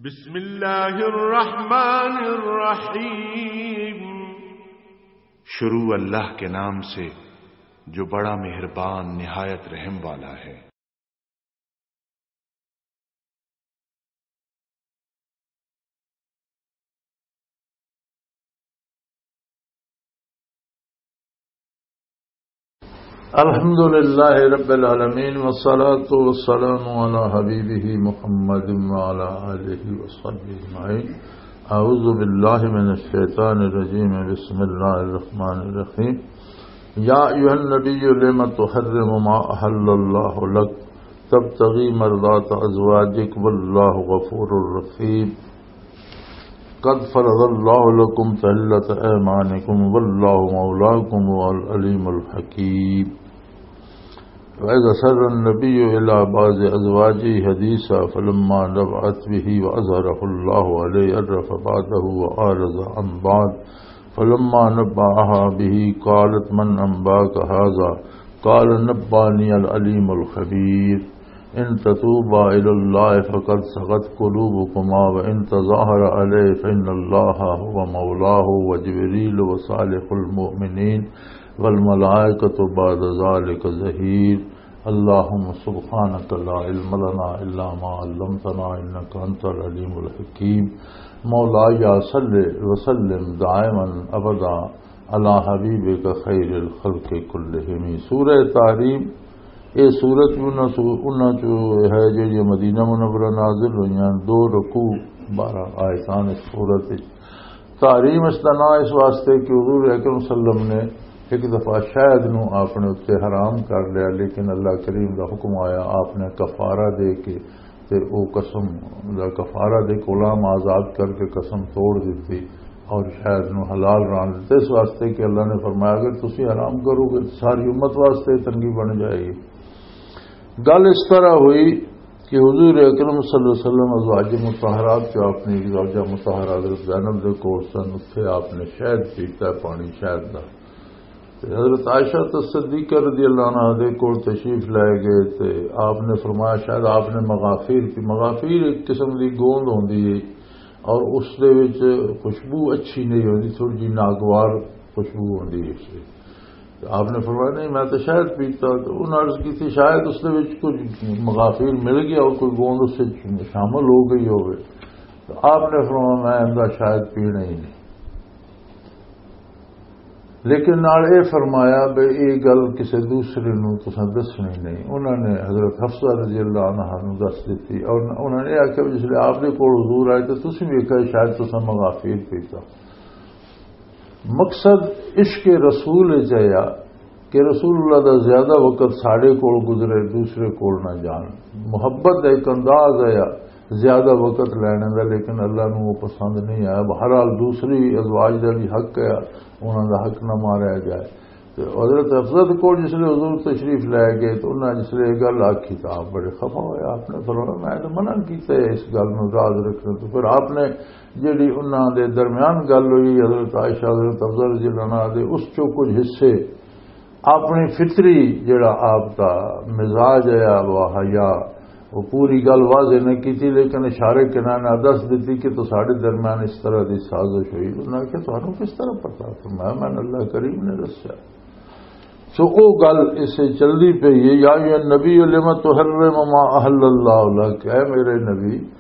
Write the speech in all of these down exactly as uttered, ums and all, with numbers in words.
بسم اللہ الرحمن الرحیم۔ شروع اللہ کے نام سے جو بڑا مہربان نہایت رحم والا ہے۔ الحمد لله رب العالمين، والصلاة والسلام على حبيبه محمد وعلى آله وصحبه أجمعين. أعوذ بالله من الشيطان الرجيم. بسم الله الرحمن الرحيم. يا أيها النبي لم تحرم ما أحل الله لك تبتغي مرضات أزواجك والله غفور رحيم. قد فرض الله لكم تحلة أيمانكم والله مولاكم وهو العليم الحكيم. وإذا سر النبي إلى بعض أزواجه حديثا فلما نبأت به وأظهره الله عليه عرف بعضه وأعرض عن بعض. فلما نبأها به قالت من أنبأك هذا؟ قال نبأني العليم الخبير. إن تتوبا إلى الله فقد صغت قلوبكما وإن تظاهر عليه فإن الله هو مولاه وجبريل وصالح المؤمنين والملائكة بعد ذلك ظهير. اللهم سبحانك لا علم لنا إلا ما علمتنا إنك أنت العليم الحكيم. مولاي صل وسلم دائما أبدا على حبيبك خير الخلق كلهم. سورہ تحریم، یہ سورت بھی انہاں سو-، انہاں چو ہے جڑی مدینہ منورہ نازل ہوئیاں، دو رکوع، بارہ آیتان اس سورت وچ۔ تحریم اس دا نام اس واسطے کہ حضور اکرم صلی اللہ علیہ وسلم نے ایک دفعہ شہد نو اپنے اُتے حرام کر لیا، لیکن اللہ کریم دا حکم آیا، آپ نے کفارہ دے کے تے او قسم دا کفارہ دے، غلام آزاد کر کے قسم توڑ دتی اور شہد نو حلال ران دتا، اس واسطے کہ اللہ نے فرمایا، اگر تسی حرام کرو گے تو ساری امت واسطے تنگی بن جائے گی۔ گل اس طرح ہوئی کہ حضور اکرم صلی اللہ علیہ وسلم ازواج مطہرات جو اپنی ایک زوجہ مطہرہ حضرت زینب دے کول سن، اتھے آپ نے شہد پیتا ہے، پانی شہد دا۔ تے حضرت عائشہ تصدیقہ رضی اللہ عنہا دے کول تشریف لے گئے تے آپ نے فرمایا، شاید آپ نے مغافیر کی، مغافیر ایک قسم دی گوند ہوندی ہے اور اس دے وچ خوشبو اچھی نہیں ہوندی، تھوڑی جی ناگوار خوشبو ہوندی ہے اس وچ۔ تے آپ نے فرمایا، نہیں، میں تو شہد پیتا۔ تو انہاں عرض کی تھی، شاید اس دے وچ کچھ مغافیر مل گیا اور کوئی گوند اس وچ شامل ہو گئی ہوگی۔ تو آپ نے فرمایا، میں ان دا شاید پینا ہی نہیں۔ لیکن نال اے فرمایا بے اے گل کسے دوسرے نوں تساں دسنی نہیں۔ انہاں نے حضرت حفصہ رضی اللہ عنہا نوں دس دتی اور انہاں نے آکھیا، جس لے آپ دے کول حضور آئے تے تسی ویکھیا شاید تساں مغافیر پیتا۔ مقصد عشق رسول وچ آیا کہ رسول اللہ دا زیادہ وقت ساڈے کول گزرے، دوسرے کول نہ جان۔ محبت دا ایک انداز آیا زیادہ وقت لینے دا، لیکن اللہ نوں وہ پسند نہیں آیا۔ بہرحال دوسری ازواج دا بھی حق ہے، انہاں دا حق نہ ماریا جائے۔ تے حضرت حفصہ کول جس لے حضور تشریف لے گئے تو انہاں جس لے یہ گل آکھی تو آپ بڑے خفا ہوئے۔ آپ نے فرمایا، میں تو منع کیتا ہے اس گل نوں راز رکھنے تو۔ پھر آپ نے جڑی انہاں دے درمیان گل ہوئی، حضرت عائشہ، حضرت حفصہ رضی اللہ عنہا دے، اس چوں کچھ حصے اپنی فطری جڑا آپ دا مزاج ہے، وہ حیا، وہ پوری گل واضح نہیں کیتی، لیکن اشارے کنانے نال دس دتی کہ تو ساڈے درمیان اس طرح دی سازش ہوئی۔ انہاں نے کہا، تانوں کس طرح پتہ؟ فرمایا، میں اللہ کریم نے دسیا۔ سو او گل اسے چلدی پئی ہے، یا ایھا النبی لم تحرم ما احل اللہ لک، اے میرے نبی،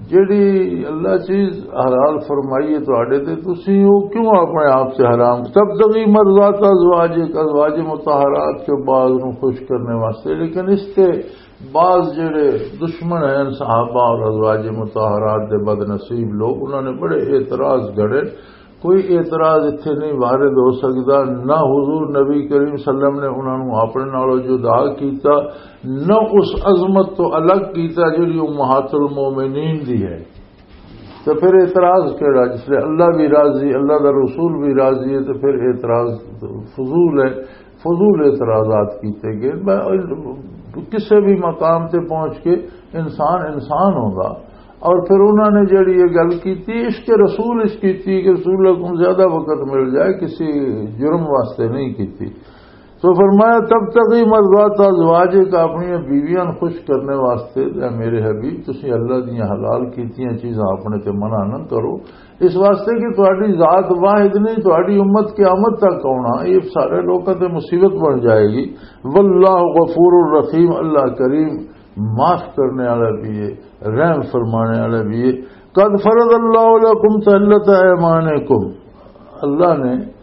جڑی اللہ چیز حلال فرمائی ہے تواڈے تے، تسی او کیوں اپنے آپ سے حرام؟ تبتغی مرضات ازواجک، ازواج مطہرات کے بعض نوں خوش کرنے واسطے، لیکن اس تے بعض جڑے دشمن ہیں صحابہ اور ازواج مطہرات دے بد نصیب لوگ، انہاں نے بڑے اعتراض گھڑے۔ کوئی اعتراض اتھے نہیں وارد ہو سکدا، نہ حضور نبی کریم صلی اللہ علیہ وسلم نے انہاں نوں اپنے نالوں جدا کیتا، نہ اس عظمت تو الگ کیتا جڑی امہات المومنین دی ہے۔ تو پھر اعتراض کیڑا؟ جس لئے اللہ بھی راضی، اللہ دا رسول بھی راضی ہے، تو پھر اعتراض فضول ہے، فضول اعتراضات کیتے گئے۔ میں کسے بھی مقام تے پہنچ کے انسان انسان ہوندا۔ اور پھر انہاں نے جڑی یہ گل کیتی، عشق رسول اس کیتی کہ رسول اللہ کو زیادہ وقت مل جائے، کسی جرم واسطے نہیں کیتی۔ تو فرمایا، "تبتغی مرضات ازواجک"، اپنی بیویاں نوں خوش کرنے واسطے، اے میرے حبیب، تسی اللہ دیاں حلال کیتیاں چیزاں اپنے تے منع نہ کرو، اس واسطے کہ تہاڈی ذات واحد نہیں، تہاڈی امت قیامت تک آنا، یہ سارے لوکاں تے مصیبت بن جائے گی۔ واللہ غفور الرحیم، اللہ کریم، معاف کرنے والا بھی ہے، رحم فرمانے والا بھی ہے۔ قد فرض اللہ لکم تحلۃ ایمانکم، اللہ نے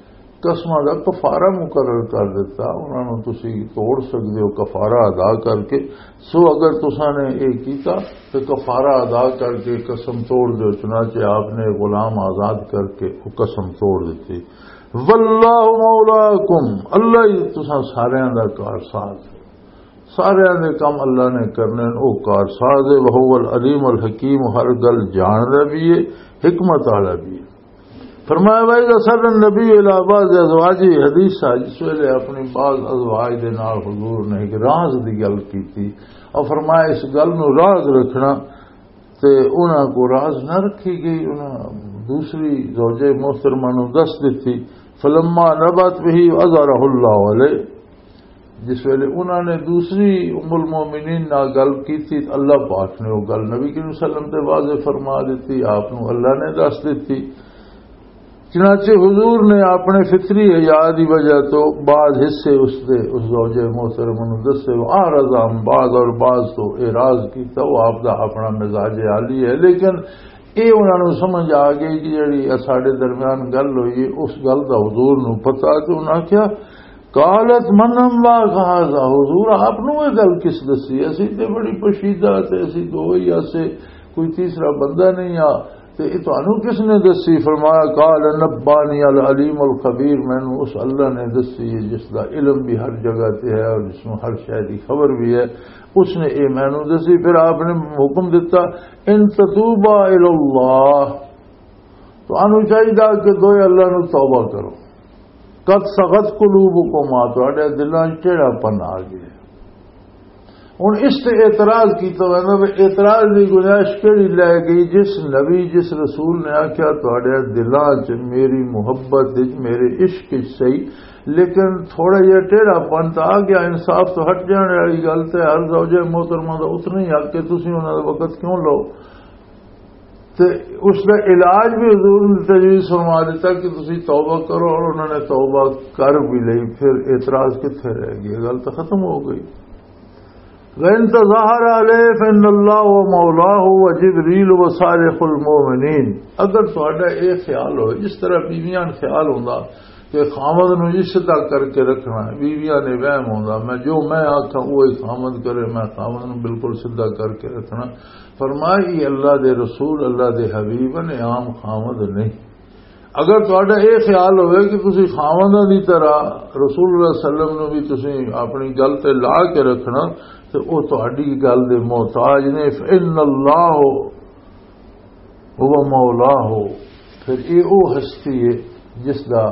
قسماں دا کفارہ مقرر کر دتا، انہاں نوں تسی توڑ سکدے ہو کفارہ ادا کر کے۔ سو اگر تساں نے یہ کیتا تو کفارہ ادا کر کے قسم توڑ دیو۔ چنانچہ آپ نے غلام آزاد کر کے وہ قسم توڑ دیتی۔ واللہ مولاکم، اللہ ہی تساں ساریاں دا کارساز ہے۔ ساریاں دے کم اللہ نے کرنے، او کارساز ہے۔ وہو العلیم الحکیم، ہر گل جاندا بھی ہے، حکمت والا بھی ہے۔ فرمایا، "وَإِذْ أَسَرَّ النَّبِيُّ إِلَىٰ بَعْضِ أَزْوَاجِهِ حَدِيثًا"، جس ویلے اپنی بعض ازواج دے نال حضور نے ایک راز دی گل کیتی، اور فرمایا، "اس گل نو راز رکھنا"، تے انہاں کو راز نہ رکھی گئی، انہاں دوسری زوجہ محترمہ نو دس دتی۔ فلما نبت به اظہرہ اللہ علیہ، جس ویلے انہاں نے دوسری ام المومنین نال گل کیتی تے اللہ پاک نے وہ گل نبی کریم صلی اللہ علیہ وسلم تے واضح فرما دتی، آپ نو اللہ نے دس دتی۔ چنانچہ حضور نے اپنے فطری حیا دی وجہ تو بعض حصے اس دے، اس زوجہ محترمہ نو دسے، وہ اعرض عن بعض، اور بعض تو اعراض کیتا۔ وہ آپ دا اپنا مزاج عالی ہے، لیکن اے انہاں نوں سمجھ آ گئی کہ جڑی اے ساڈے درمیان گل ہوئی ہے، اس گل دا حضور نوں پتہ، تے انہاں آکھیا، "قالت من انباک ھذا؟" حضور، آپ نوں یہ گل کس دسی؟ اسی تے بڑی پوشیدہ تے اسی دو ہی آسے، کوئی تیسرا بندہ نہیں آ، تے یہ تانوں کس نے دسی؟ فرمایا، "قال نبانی العلیم الخبیر"، مینوں اس اللہ نے دسی ہے جس دا علم بھی ہر جگہ تے ہے اور جس نوں ہر شے دی خبر بھی ہے، اس نے یہ مینوں دسی۔ پھر آپ نے حکم دتا، "ان تتوبا الی اللہ"، تو انہوں چاہیے کہ دوئے اللہ نو توبہ کرو۔ "قد صغت قلوبکما"، تہاڈے دلاں وچ ٹیڑھا پن آ گیا۔ ہن اس تے اعتراض کیتا ویندا وے، اعتراض دی گنجائش کیڑی لے گئی؟ جس نبی، جس رسول نے آکھیا، "تہاڈے دلاں وچ میری محبت وچ، میرے عشق وچ صحیح، لیکن تھوڑا جہا ٹیڑھا پن تے آ گیا، انصاف تو ہٹ جانے والی گل تے ہر زوجہ محترمہ دا اتنا ہی حق ہے، تسی انہاں دا وقت کیوں لو؟" تے اس دا علاج بھی حضور نے تجویز فرما دیتا کہ تسی توبہ کرو، اور انہوں نے توبہ کر بھی لئی، پھر اعتراض کتھے رہ گیا؟ گل تو ختم ہو گئی۔ "وَإِن تَظَاهَرَ عَلَيْهِ فَإِنَّ اللَّهَ هُوَ مَوْلَاهُ وَجِبْرِيلُ وَصَالِحُ الْمُؤْمِنِينَ"، اگر تہاڈا یہ خیال ہوئے، جس طرح بیویاں خیال ہوندا کہ خاوند نوں یہ سیدھا کر کے رکھنا ہے، بیویاں نے وہم ہوندا، میں جو میں آکھاں، وہ ہی خاوند کرے، میں خاوند نوں بالکل سیدھا کر کے رکھنا۔ فرمایا، یہ اللہ دے رسول، اللہ دے حبیب نے عام خاوند نہیں۔ اگر تہاڈا یہ خیال ہوئے کہ تسی خاونداں دی طرح رسول اللہ صلی اللہ علیہ وسلم نوں بھی تسی اپنی گل تے لا کے رکھنا، تے او تہاڈی گل دے محتاج نے۔ فإن اللہ ہو مولا ہو، پھر یہ او ہستی ہے جس دا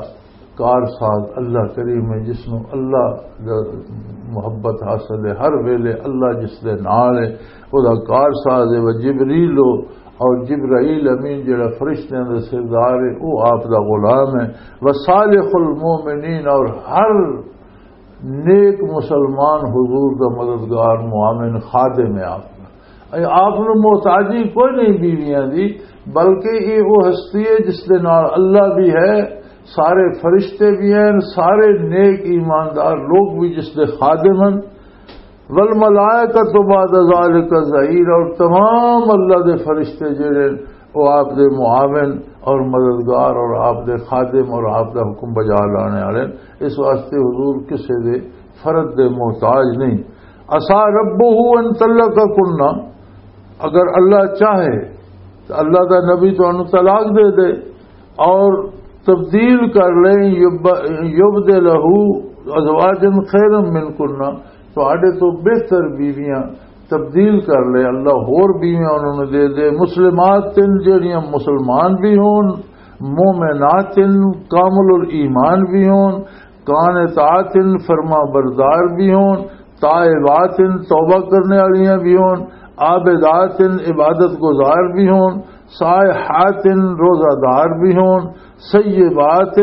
کار ساز اللہ کریم ہے، جس نو اللہ دا محبت حاصل ہے، ہر ویلے اللہ جس دے نال ہے، او دا کار ساز ہے۔ وہ جبریل ہو، اور جبرائیل امین جڑا فرشتیاں دا سردار ہے، او آپ دا غلام ہے۔ وصالح المومنین، اور ہر نیک مسلمان حضور دا مددگار، معاون، خادم ہے آپ دا۔ اے آپ نوں محتاجی کوئی نہیں بیویاں دی، بلکہ یہ وہ ہستی ہے جس دے نال اللہ بھی ہے، سارے فرشتے بھی ہیں، سارے نیک ایماندار لوگ بھی جس دے خادم ہیں۔ والملائکۃ بعد ذالک ظہیر، اور تمام اللہ دے فرشتے جڑے وہ آپ دے معاون اور مددگار اور آپ دے خادم اور آپ دا حکم بجا لانے والے، اس واسطے حضور کسے دے فرد دے محتاج نہیں۔ عسیٰ ربہ ان طلقکنہ، اگر اللہ چاہے تو اللہ دا نبی تانوں طلاق دے دے اور تبدیل کر لیں، یب-، یبدلہ ازواجا خیرا منکنہ، تہاڈے تو بہتر بیویاں تبدیل کر لے، اللہ ہور بیویاں انہوں نے دے دے، مسلمات جڑیاں مسلمان بھی ہون، مومنات کامل الایمان بھی ہون، قانتات فرما بردار بھی ہون، تائبات توبہ کرنے والیاں بھی ہون، عابدات عبادت گزار بھی ہون، صائحات روزہ دار بھی ہون، سیبات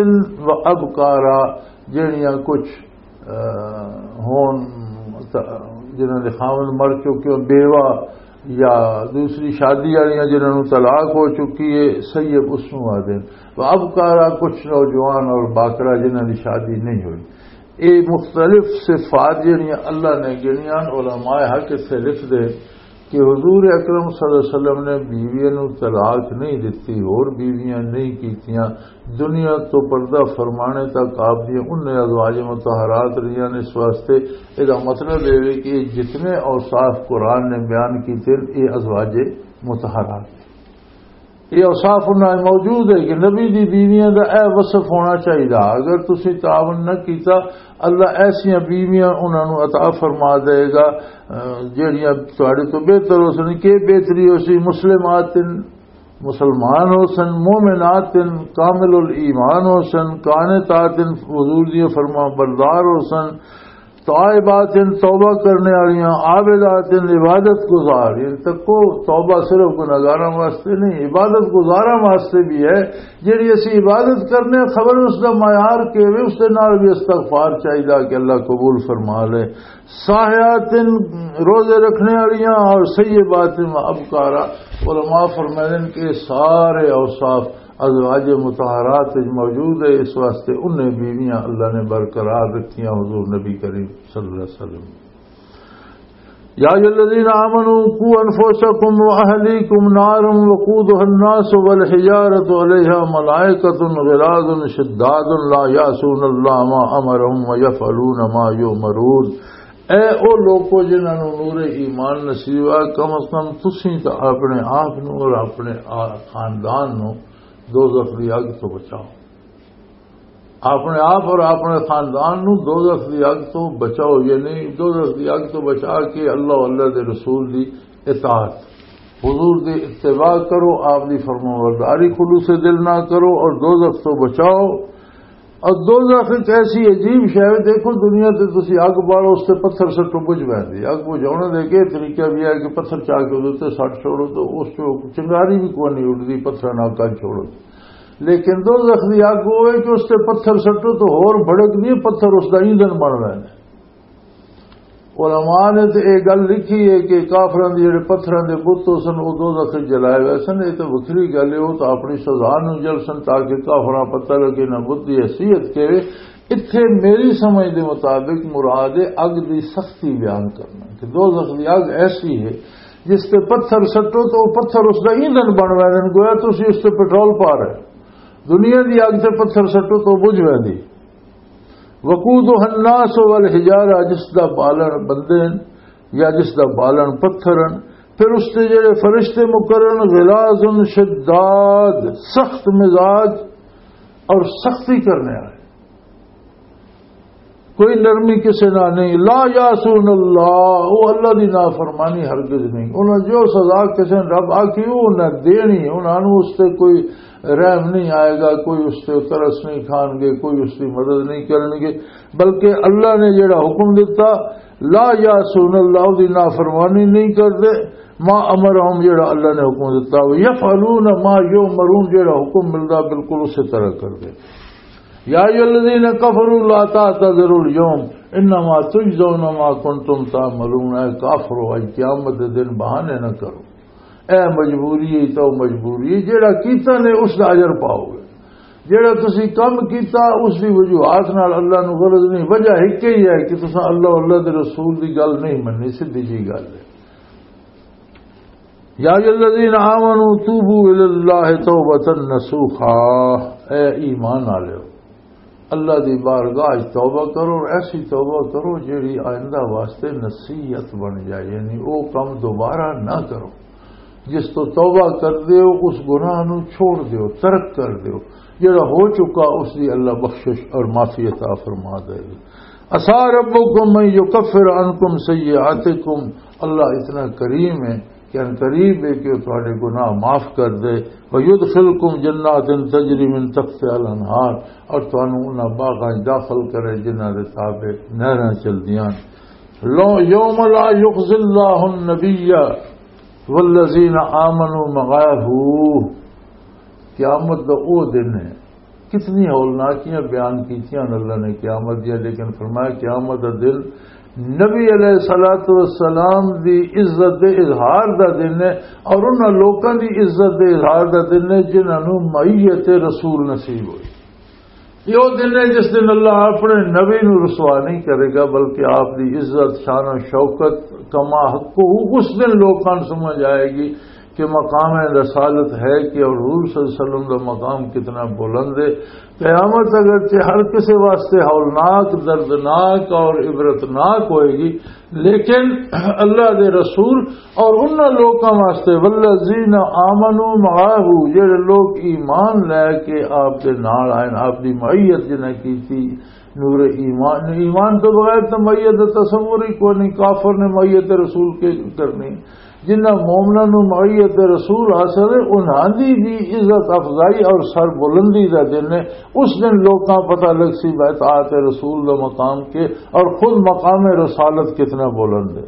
و ابکارا، جڑیاں کچھ ہون، جنہاں دے خاوند مر چکے ہو، بیوہ یا دوسری شادی والیاں جنہاں نوں طلاق ہو چکی ہے، سیب اس نوں آدھے۔ تو اب کارا کچھ نوجوان اور باکرا جنہاں دی شادی نہیں ہوئی۔ یہ مختلف صفات جنہاں اللہ نے گنیاں، علماء حق اتھے لکھ دے کہ حضور اکرم صلی اللہ علیہ وسلم نے بیویاں نوں طلاق نہیں دتی، اور بیویاں نہیں کیتیاں۔ دنیا تو پردہ فرمانے تک آپ دی انہیں ازواج مطہرات رہیاں نے۔ اس واسطے، اس دا مطلب یہ ہے کہ یہ جتنے اوصاف قرآن نے بیان کیتے ہیں، یہ ازواج مطہرات ہیں۔ یہ اوصاف انہاں میں موجود ہے کہ نبی دی بیویاں دا اے وصف ہونا چاہیے۔ اگر تسی تعاون نہ کیتا، اللہ ایسیاں بیویاں انہاں نوں عطا فرما دے گا، اہ، جہڑیاں تہاڈے تو بہتر ہو سن۔ کہ بہتری ہو سی؟ مسلمات، مسلمان ہو سن، مومنات، کامل الایمان ہو سن، قانتات، حضور دی فرما بردار ہو سن، تائبات، توبہ کرنے والیاں، عابدات، عبادت گزار۔ یہ تکو، توبہ صرف گناہگاراں واسطے نہیں، عبادت گزاراں واسطے بھی ہے۔ جیڑی اسی عبادت کرنے، خبر اس دا معیار کے وے، اس دے نال بھی استغفار چاہیدا کہ اللہ قبول فرما لے۔ صاحیات، روزے رکھنے والیاں، اور سیبات و ابکارا۔ علماء فرمائیں کہ سارے اوصاف ازواج مطہرات وچ موجود ہے، اس واسطے انہیں بیویاں اللہ نے برقرار رکھیاں۔ حضور نبی کریم صلی اللہ علیہ وسلم، یا ایھا الذین آمنوا قوا انفسکم واہلیکم نارا وقودها الناس والحجارة علیہا ملائکۃ غلاظ شداد لا یعصون اللہ ما امرهم ویفعلون ما یؤمرون۔ اے او لوکو جنہاں نوں نور ایمان نصیب ہے، کم از کم تسی تے اپنے آپ نوں اور اپنے آ-، خاندان نوں دوزخ دی اگ تو بچاؤ۔ اپنے آپ اور اپنے خاندان نوں دوزخ دی اگ تو بچاؤ، یعنی دوزخ دی اگ تو بچا کے اللہ، اللہ دے رسول دی اطاعت، حضور دی اتباع کرو، آپ دی فرمانبرداری خلوص دل نہ کرو اور دوزخ تو بچاؤ۔ اور دوزخ ایک ایسی عجیب شے ہے، دیکھو دنیا تے تسی اگ بالو، اس تے پتھر سٹو، بجھ ویندی۔ اگ بجھاؤن دے کے طریقہ بھی ہے کہ پتھر چا کے اس تے سٹ چھوڑو تو اس چوں چنگاری بھی کوئی نہیں اٹھدی، پتھر نال کر چھوڑو۔ لیکن دوزخ دی اگ ہوئے کہ اس تے پتھر سٹو تو ہور بھڑک نہیں، پتھر اس دا ایندھن بن ویندے۔ علماء نے تے اے گل لکھی ہے کہ کافراں دے جڑے پتھراں دے بت ہو سن، او دوزخ وچ جلائے وے سن۔ اے تے وکھری گل ہے، او تاں اپنی سزا نوں جل سن تاکہ کافراں پتہ لگے نہ بت دی حیثیت کے۔ اتھے میری سمجھ دے مطابق مراد ہے اگ دی سختی بیان کرنا کہ دوزخ دی اگ ایسی ہے جس تے پتھر سٹو تو او پتھر اس دا ایندھن بن ویندے، گویا تسی اس تے پٹرول پا رہے۔ دنیا دی اگ تے پتھر سٹو تو بجھ ویندی۔ وقودها الناس والحجارہ، جس دا بالن بندے ہن یا جس دا بالن پتھر ہن، پھر اس تے جڑے فرشتے مقرر ہن، غلاظ شداد، سخت مزاج اور سختی کرنے والے، کوئی نرمی کسے نال نہیں۔ لا یعصون اللہ، وہ اللہ دی نافرمانی ہرگز نہیں۔ انہاں جو سزا کسے نے رب آکھی، وہ انہاں دینی، انہاں نوں اس تے کوئی رحم نہیں آئے گا، کوئی اس تے ترس نہیں کھان گے، کوئی اس دی مدد نہیں کرن گے، بلکہ اللہ نے جڑا حکم دتا، لا یعصون اللہ، دی نافرمانی نہیں کردے، ما امرہم، جڑا اللہ نے حکم دتا، یفعلون ما یؤمرون، جڑا حکم ملدا بالکل اسی طرح کردے۔ یا ایھا الذین کفروا لا تعتذروا الیوم انما تجزون ما کنتم تعملون، اے کافرو، اج قیامت دے دن بہانے نہ کرو۔ اے مجبوری ہے تو مجبوری ہے، جڑا کیتا نے اس دا اجر پاؤ گے۔ جڑا تسی کم کیتا اس دی وجوہات نال اللہ نو غرض نہیں، وجہ ایک ہی ہے کہ تساں اللہ، اللہ دے رسول دی گل نہیں مننی، سیدھی جی گل ہے۔ یا ایھا الذین آمنوا توبوا الی اللہ توبۃ نصوحا، اے ایمان والو، اللہ دی بارگاہ وچ توبہ کرو، اور ایسی توبہ کرو جیڑی آئندہ واسطے نصیحت بن جائے، یعنی او کم دوبارہ نہ کرو۔ جس تو توبہ کر دیو، اس گناہ نو چھوڑ دیو، ترک کر دیو، جڑا ہو چکا اس دی اللہ بخشش اور معافی عطا فرما دے۔ عسیٰ ربکم ان یکفر عنکم سیئاتکم، اللہ اتنا کریم ہے کہ ان قریب ہے کہ وہ تہاڈے گناہ معاف کر دے۔ ویدخلکم جنات تجری من تحتها الانہار، اور تانوں انہاں باغاں وچ داخل کرے جنہاں دے تابع نہراں چلدیاں۔ لو-، یوم لا یخزی اللہ النبی والذین آمنوا معه، قیامت دا او دن ہے کتنی ہولناکیاں بیان کیتیاں اللہ نے قیامت دیا، لیکن فرمایا، قیامت دا دن نبی علیہ الصلوۃ والسلام دی عزت دے اظہار دا دن ہے، اور انہاں لوکاں دی عزت دے اظہار دا دن ہے جنہاں نوں معیت رسول نصیب ہوئی۔ یہ وہ دن ہے جس دن اللہ اپنے نبی نوں رسوا نہیں کرے گا، بلکہ آپ دی عزت، شان و شوکت، کما حقہ، اس دن لوکاں نوں سمجھ آئے گی کہ مقام رسالت ہے کہ، اور حضور صلی اللہ علیہ وسلم دا مقام کتنا بلند ہے۔ قیامت اگرچہ ہر کسی واسطے ہولناک، دردناک اور عبرتناک ہوئے گی، لیکن اللہ دے رسول اور انہاں لوکاں واسطے، والذین آمنوا معه، جڑے لوگ ایمان لے کے آپ دے نال آئے، آپ دی معیت جنہیں کیتی، نور ایمان، ایمان تو بغیر تو معیت دا تصور ہی کوئی نہیں، کافر نے معیت رسول کے کرنی۔ جنہاں مومناں نوں معیت رسول حاصل ہے، انہاں دی بھی عزت افزائی اور سر بلندی دا دن ہے۔ اس دن لوکاں پتہ لگ سی اطاعت رسول دا مقام کے، اور خود مقام رسالت کتنا بلند ہے۔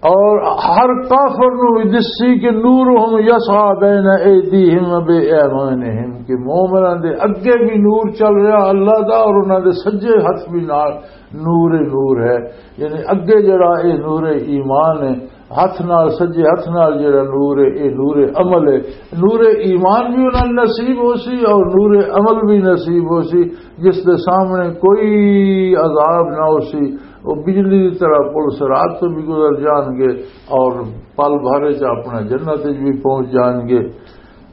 اور ہر کافر نوں بھی دسی کہ نورہم یسعی بین ایدیہم و بایمانہم، کہ مومناں دے اگے بھی نور چل رہا اللہ دا، اور انہاں دے سجے ہتھ بھی نال نور نور ہے۔ یعنی اگے جڑا اے نور ایمان ہے، ہتھ نال، سجے ہتھ نال جڑا نور ہے، اے نور عمل ہے۔ نور ایمان بھی انہاں نوں نصیب ہو سی اور نور عمل بھی نصیب ہو سی، جس دے سامنے کوئی عذاب نہ ہو سی۔ وہ بجلی کی طرح پل صراط تو بھی گزر جان گے اور پل بھر چ اپنا جنت وچ بھی پہنچ جان گے۔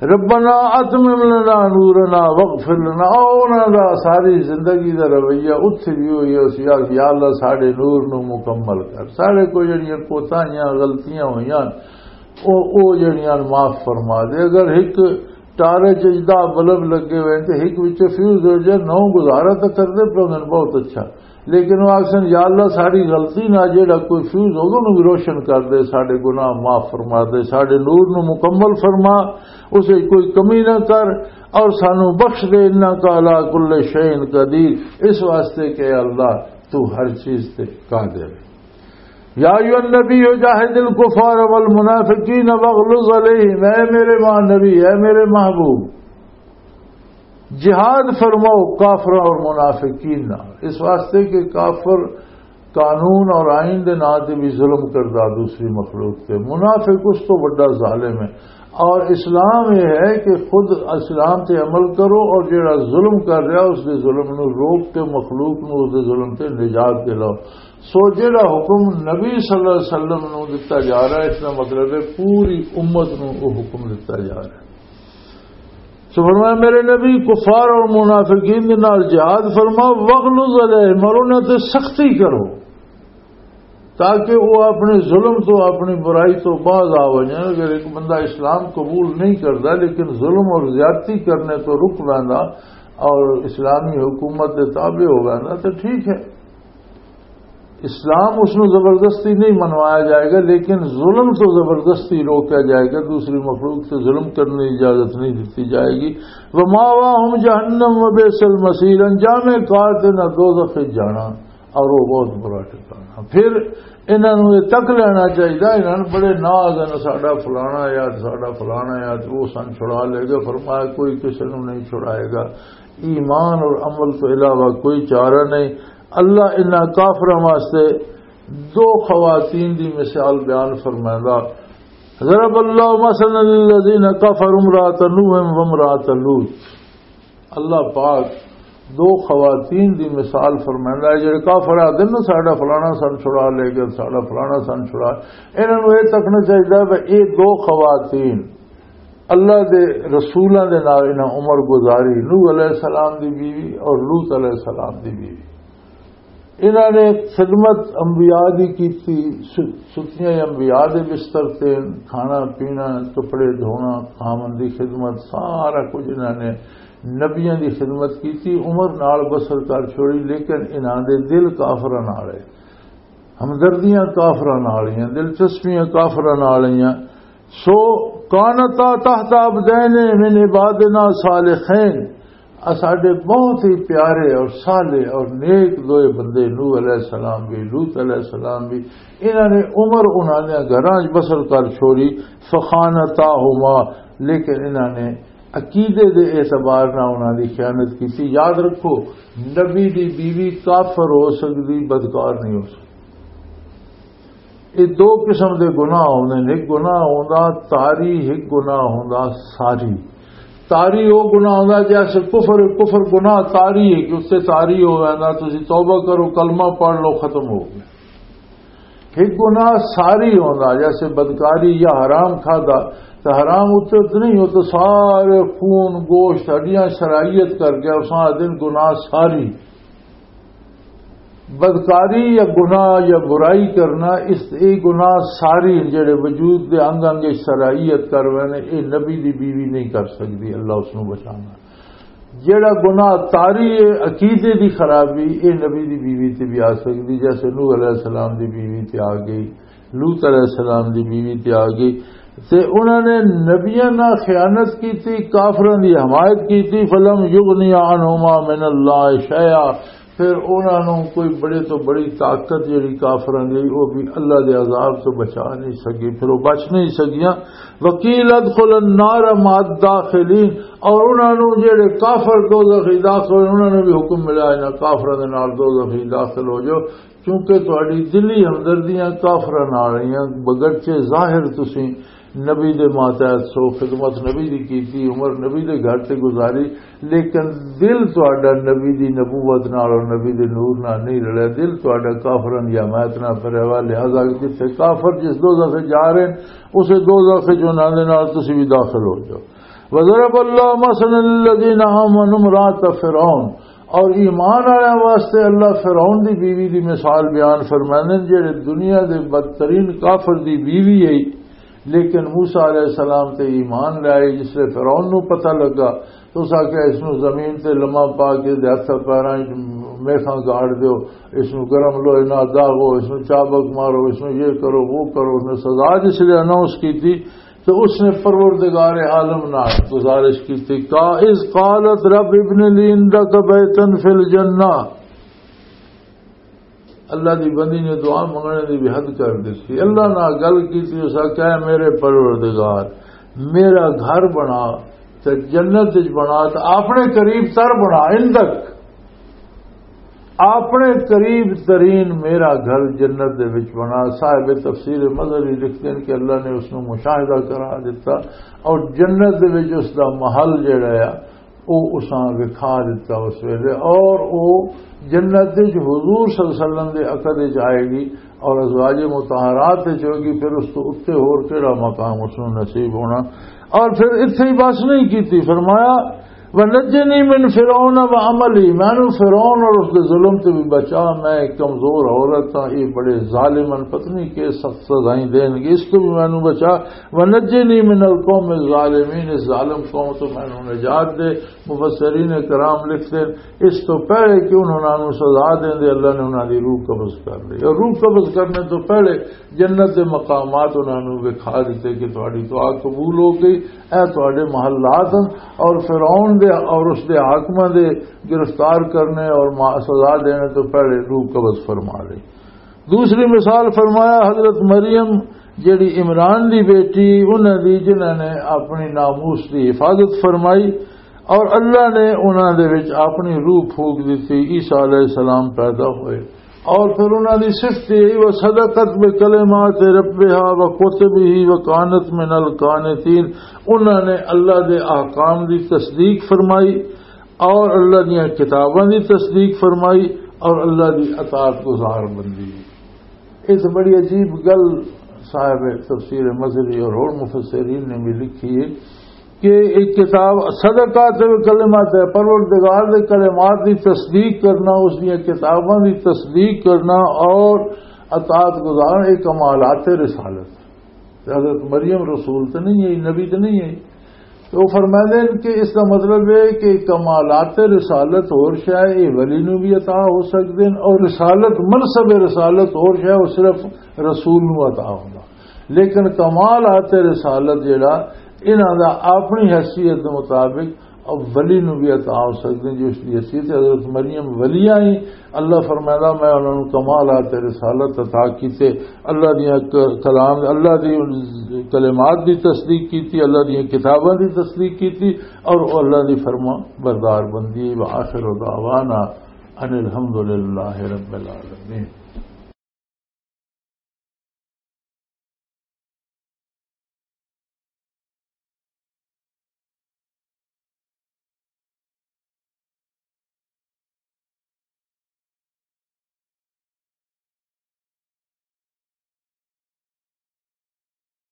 ربنا اتمم لنا نورنا واغفر لنا۔ او انہاں دا ساری زندگی دا رویہ اتھے بھی ہوئی ہے، اس یار، یا اللہ ساڈے نور نو مکمل کر، ساڈے کو جڑیاں کوتاہیاں، غلطیاں ہوئیاں، او، او جڑیاں معاف فرما دے۔ اگر ایک ٹارے چ دہ بلب لگے ہوئے تے ایک وچ فیوز ہو جائے، نو گزارا تو کردے پے ہن، بہت اچھا۔ لیکن وہ آخسن، یا اللہ، ساری غلطی نہ جیڑا کوئی فیوز ہوگا، انہوں بھی روشن کر دے، سارے گناہ معاف فرما دے، سارے نور نو مکمل فرما، اسے کوئی کمی نہ کر، اور سانو بخش دے، انک علی کل شیء قدیر، اس واسطے کہ اے اللہ، تو ہر چیز تے قادر ہے۔ یا ایھا النبی جاہد الکفار والمنافقین واغلظ علیہم، اے میرے ماں نبی، اے میرے محبوب، جہاد فرماؤ کافراں اور منافقین نال، اس واسطے کہ کافر قانون اور آئین دے نام تے بھی ظلم کردا دوسری مخلوق تے، منافق اس تو بڑا ظالم ہے۔ اور اسلام یہ ہے کہ خود اسلام تے عمل کرو اور جڑا ظلم کر رہا اس دے ظلم نو روک کے مخلوق نو اس دے ظلم تے نجات دلاؤ۔ سو جڑا حکم نبی صلی اللہ علیہ وسلم نو دتا جا رہا ہے، اس کا مطلب ہے پوری امت نو وہ حکم دتا جا رہا ہے۔ سو فرمایا، میرے نبی، کفار اور منافقین دے نال جہاد فرما، وغلظ علیہم، اور انہاں تے سختی کرو، تاکہ وہ اپنے ظلم تو، اپنی برائی تو باز آ وجن۔ اگر ایک بندہ اسلام قبول نہیں کرتا لیکن ظلم اور زیادتی کرنے تو رک ویندا اور اسلامی حکومت دے تابع ہو ویندا تو ٹھیک ہے، اسلام اس نو زبردستی نہیں منوایا جائے گا، لیکن ظلم تو زبردستی روکا جائے گا، دوسری مخلوق سے ظلم کرنے کی اجازت نہیں دیتی جائے گی۔ وماواہم جہنم وبئس المصیر، انجام کار تے نہ دوزخ وچ جانا، اور وہ بہت برا ٹھکانا۔ پھر انہاں نوں یہ تک لینا چاہیے، انہاں نوں بڑے ناز ہیں، ساڈا فلانا یار، ساڈا فلانا یار، وہ سن چھڑا لے گا۔ فرمایا، کوئی کسی نوں نہیں چھڑائے گا، ایمان اور عمل تو علاوہ کوئی چارہ نہیں۔ اللہ انہاں کافراں واسطے دو خواتین دی مثال بیان فرمائندا، ضرب اللہ مثلا للذین کفروا امرأۃ نوح وامرأۃ لوط۔ اللہ پاک دو خواتین دی مثال فرمائندا ہے، جڑے کافر آدھے نا، ساڈا فلانا سن چھڑا لے گئے، ساڈا فلانا سن چھڑا، انہاں نوں یہ تکنا چاہیے کہ یہ دو خواتین اللہ دے رسولاں دے نال انہاں عمر گزاری، نوح علیہ السلام دی بیوی اور لوط علیہ السلام دی بیوی۔ انہاں نے خدمت انبیاء دی کیتی، س-، ستیاں انبیاء دے بستر تے، کھانا پینا، کپڑے دھونا، خاوند دی خدمت، سارا کچھ انہاں نے نبیاں دی خدمت کیتی، عمر نال بسر کر چھوڑی، لیکن انہاں دے دل کافراں نال ہے، ہمدردیاں کافراں نال ہیں، دلچسپیاں کافراں نال ہیں۔ سو کانتا تحت عبدین من عبادنا صالحین، اساڈے بہت ہی پیارے اور صالح اور نیک دوئے بندے، نوح علیہ السلام بھی، لوط علیہ السلام بھی، انہاں نے عمر انہاں نے گھراں وچ بسر کر چھوڑی، فخانتاہما، لیکن انہاں نے عقیدے دے اعتبار نال انہاں دی خیانت کیتی۔ یاد رکھو، نبی دی بیوی کافر ہو سکدی، بدکار نہیں ہو سکدی۔ یہ دو قسم دے گناہ ہوندے نے، ایک گناہ ہوندا طاری، ایک گناہ ہوندا ساری۔ طاری وہ گناہ ہوندا جیسے کفر، کفر گناہ طاری ہے کہ اس سے طاری ہو ویندا، تسی توبہ کرو، کلمہ پڑھ لو، ختم ہو گیا۔ ایک گناہ ساری ہوندا، جیسے بدکاری یا حرام کھادا، تو حرام اتنے تو نہیں، وہ تو سارے خون، گوشت، ہڈیاں شرائیت کر گیا، اس آدھے گناہ ساری۔ بدکاری یا گناہ یا برائی کرنا، اس، یہ گناہ ساری جڑے وجود دے انگ انگ شرائیت کر وینے، یہ نبی دی بیوی نہیں کر سکتی، اللہ اس نو بچانا۔ جڑا گناہ طاری ہے، عقیدے دی خرابی، یہ نبی دی بیوی تے بھی آ سکتی، جیسے نوح علیہ السلام دی بیوی تے آ گئی، لوط علیہ السلام دی بیوی تے آ گئی۔ تے انہاں نے نبیاں نال خیانت کیتی، کافراں دی حمایت کیتی، فلم یغنی عنہما من اللہ شیئا، پھر انہاں نوں کوئی بڑے تو بڑی طاقت جڑی کافراں دی، وہ بھی اللہ دے عذاب تو بچا نہیں سکی، پھر وہ بچ نہیں سکیاں۔ وقیل ادخل النار مع الداخلین، اور انہاں نوں جڑے کافر دوزخ وچ داخل ہوئے، انہاں نوں بھی حکم ملا، انہاں کافراں دے نال دوزخ وچ داخل ہو جاؤ، کیونکہ تہاڈی دلی ہمدردیاں کافراں نال رہیاں، بگرچہ ظاہر تسی نبی دے ماتحت سو، خدمت نبی دی کیتی، عمر نبی دے گھر تے گزاری، لیکن دل تہاڈا نبی دی نبوت نال اور نبی دے نور نال نہیں رلیا، دل تہاڈا کافراں دی حمایت نال بھریا ہوا، لہذا جتھے کافر جس دوزخ وچ جا رہے ہیں، اسے دوزخ وچ انہاں دے نال تسی بھی داخل ہو جاؤ۔ وضرب اللہ مثلا للذین آمنوا امرأۃ فرعون، اور ایمان والوں واسطے اللہ فرعون دی بیوی دی مثال بیان فرماندے نے، جڑے دنیا دے بدترین کافر دی بیوی ہے، لیکن موسیٰ علیہ السلام تے ایمان لے آئی۔ جس لے فرعون نو پتہ لگا تو اس آکھیا، "اس نو زمین تے لمہ پا کے دے ہتھ پیراں وچ میخاں گاڑ دیو، اس نو گرم لوہے نال داغو، اس نو چابک مارو، اس نو یہ کرو، وہ کرو۔" اس نے سزا جس لے اناؤنس کی تھی، تو اس نے پروردگار عالم نال گزارش کی تھی، "کا اذ قالت رب ابن لی عندک بیتا فی الجنہ۔" اللہ دی بندی نے دعا منگنے دی بھی حد کر دیتی۔ اللہ نال گل کیتی، اس آکھیا، "اے میرے پروردگار، میرا گھر بنا تے جنت وچ بنا، تے اپنے قریب تر بنا، عندک، اپنے قریب ترین میرا گھر جنت دے وچ بنا۔" صاحب تفسیر مظہری لکھتے ہیں کہ اللہ نے اس نوں مشاہدہ کرا دیتا اور جنت دے وچ اس دا محل جڑا ہے، او اساں وکھا دتا اس ویلے، اور او جنت وچ حضور صلی اللہ علیہ وسلم دے عقد وچ آئے گی اور ازواج مطہرات وچ ہوگی، پھر اس تو اُتے ہور کیڑا مقام اس نوں نصیب ہونا؟ اور پھر اتھے ہی بس نہیں کیتی، فرمایا، "ونجنی من فرعون و عملی"، مینوں فرعون اور اس دے ظلم تے بھی بچا، میں ایک کمزور عورت ہاں، یہ بڑے ظالم ہیں، پتہ نہیں کہ سخت سزائیں دین گے، اس تو بھی مینوں بچا۔ "ونجنی من القوم الظالمین"، اس ظالم قوم تو مینوں نجات دے۔ مفسرین کرام لکھتے ہیں، اس تو پہلے کہ انہوں نے سزا دین دے، اللہ نے انہوں دی روح قبض کر لی۔ اور روح قبض کرنے تو پہلے جنت دے مقامات انہوں نے وکھا دیتے کہ تہاڈی دعا قبول ہو گئی، اے تہاڈے محلات ہیں، اور فرعون دے اور اس دے حاکماں دے گرفتار کرنے اور ما-، سزا دینے تو پہلے روح قبض فرما لی۔ دوسری مثال فرمایا، حضرت مریم جڑی عمران دی بیٹی، انہاں دی، جنہاں نے اپنی ناموس دی حفاظت فرمائی اور اللہ نے انہاں دے وچ اپنی روح پھونک دتی، عیسیٰ علیہ السلام پیدا ہوئے۔ اور پھر انہاں دی صفت یہ، "وصدقت بکلمات ربها وکتبه وکانت من القانتین"، انہاں نے اللہ دے احکام دی تصدیق فرمائی اور اللہ دیاں کتاباں دی تصدیق فرمائی اور اللہ دی اطاعت گزار بندی۔ اس بڑی عجیب گل صاحب تفسیر مظہری اور ہور مفسرین نے بھی لکھی ہے کہ ایک کتاب صدقات و کلمات ہے، پروردگار دے کلمات دی تصدیق کرنا، اس دیاں کتاباں دی تصدیق کرنا اور اطاعت گزارنا، ایک کمالات رسالت۔ تے حضرت مریم رسول تے نہیں ہے، نبی تے نہیں ہے۔ تو وہ فرماتے ہیں کہ اس کا مطلب ہے کہ کمالات رسالت اور شے، یہ ولی نو بھی عطا ہو سکتے ہیں، اور رسالت، منصب رسالت اور شے، وہ صرف رسول نو عطا ہوگا۔ لیکن کمالات رسالت جڑا، انہاں دا اپنی حیثیت دے مطابق اولی نو بھی عطا ہو سکدے، جو اس دی حیثیت ہے۔ حضرت مریم ولیاں ہی، اللہ فرمائندا، میں انہاں نوں کمالات رسالت عطا کیتے، اللہ دیاں ک-، کلام، اللہ دی کلمات دی تصدیق کیتی، اللہ دیاں کتاباں دی تصدیق کیتی، اور او اللہ دی فرما بردار بندی۔ وآخر دعوانا ان الحمد للہ رب العالمین۔